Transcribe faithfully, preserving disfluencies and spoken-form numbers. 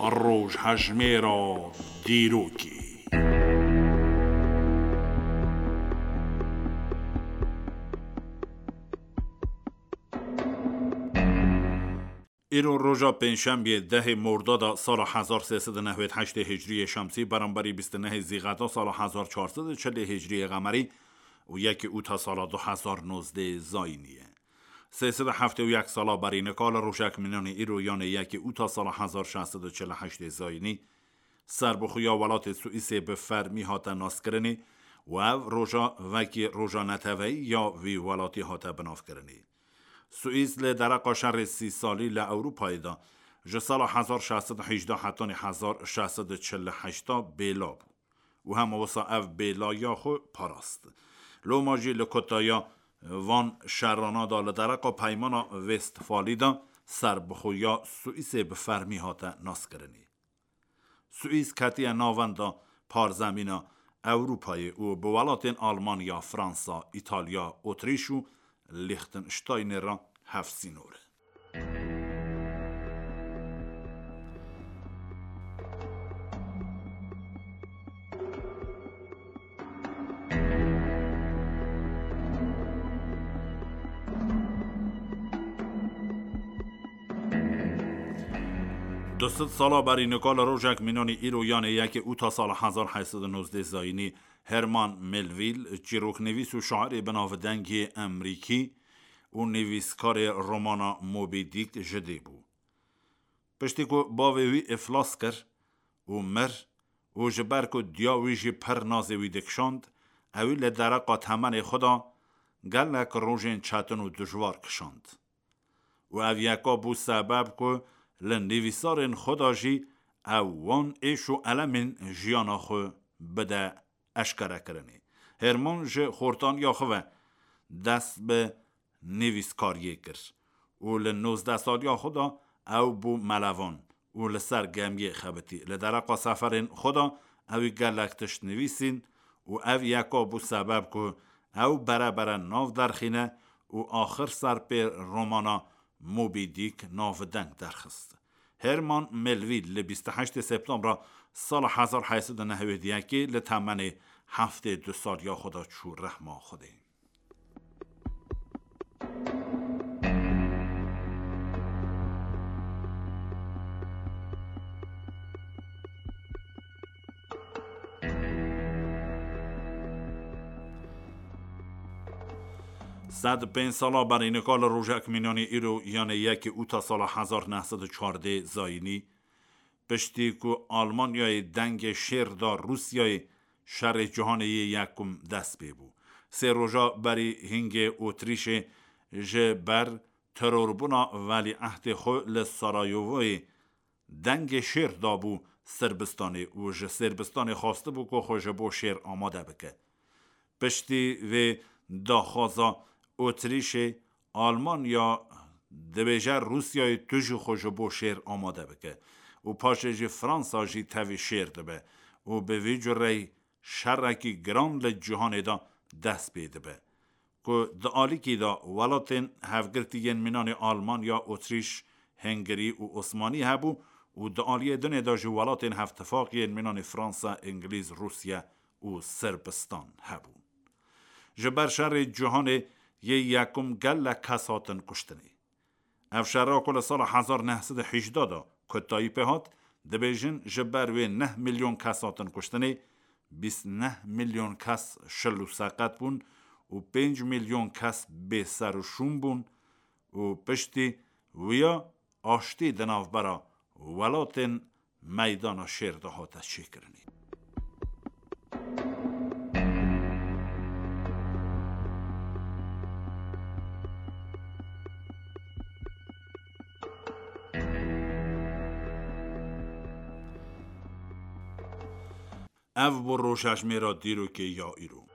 Rojhejmêra dîrokê. Îro roja pêncşembiyê dehê Mordada sala hezar sê sed û nehwed heştê Hicriyê Şemsî, beramberî bîst û nehê Zîxeda sala hezar çar sed û çilê Hicriyê Qemerî û yekê Ûta sala du hezar nozdeh Zayînî ye. Sê sed û heftê û yek sala berî nika li rojek mînanê îro, yanê yekê Ûta sala hezar şeş sed û çil û heştê Zayînî, serbixweya welatê Swîsê bi fermî hate naskirinê û ev roja wekî roja neteweyî ya vî welatî hate binavkirinê. Swîs li dereqa şerê sî salî li Ewropayê de ji sala hezar şeş sed û hejdeh hetanî hezar şeş sed û çil û heşta bêla bû û hema wisa ev bêlaya xwe parast. Loma jî li kotaya van şerana de li dereqa Peymana Westfalî de serbixweya Swîsê bi fermî hate naskirinê. Swîs ketiye navenda parzemîna Ewropayê û bi welatên Almanya, Fransa, Îtalya, Otrîş û Lîxtenştaynê re hevsînor e. Du sed sala berî nika li rojek mînanî îro, yanê yekê Ûta sala hezar heyt sed û nozdeh Zayînî, Herman Melville, çîroknivîs û şairê binavdengê Emerîkî û nivîskarê romana Moby Dick ji dê bû. Piştî ku bavê wî iflas kir û mir û ji ber ku diya wî jî pir nazê wî dikişand, ewî li dereqa temenê xwe de gelek rojên çetin û dijwar kişand. Û ev yeka bû sebeb ku li nivîsarên xwe de jî ew wan êş û elemên jiyana xwe bide eşkerekirinê. Herman ji xortaniya xwe ve dest bi nivîskariyê kir û li nozdeh saliya xwe de ew bû melevan û li ser gemiyê xebitî. Li dereqa seferên xwe de ewî gelek tişt nivîsîn û ev yeka bû sebeb ku ew bere bere nav derxîne û axir ser pê romana Moby Dick navdeng derxist. Herman Melville li bîst û heştê Septembra sala hezar heyt sed û nehwêd yekê li temenê heftê du saliya xwe de çû rehma Xwedê. Sed pênc sala berî nika li rojek mînanî îro, yanê yekê Ûta sala hezar neh sed û çardeh Zayînî, piştî ku Almanyayê dengê şêr da Rûsyayê, şerê cîhanê yê yekum dest pê bû. Sê roja berî hingê Otrîşê ji ber terorbûna welîehdê xwe li Sarayovoyê dengê şêr dabû Sirbistanê û ji Sirbistanê xwestibû ku xwe ji bo şêr amade bike. Piştî vê daxwaza Otrîşê, Almanya dibêje Rûsyayê tu jî xwe ji bo şêr amade bike û paşê jî Fransa jî tevî şêr dibe û bi vî cureyî şerekî giran li cîhanê de dest pê dibe. Ku di alîkî de welatên hevgirtî yên mînanê Almanya, Otrîş, Hengirî û Osmanî hebû û di aliyê dinê de jî welatên hevtifaqî yên mînanê Fransa, Îngilîz, Rûsya û Sirbistan hebûn. Ji ber şerê cîhanê yê yekum gelek kes hatin kuştinê. Ev şera ku li sala hezar neh sed û hejdeh de kotayî pê hat, dibêjin ji ber wê neh milyon kes hatin kuştinê, bîst neh milyon kes şil û seqet bûn û pênc milyon kes bê ser û şûn bûn û piştî wiya aştî di navbera welatên meydana şêr de hate çêkirinê. Ev bû rojhejmêra dîrokê ya îro.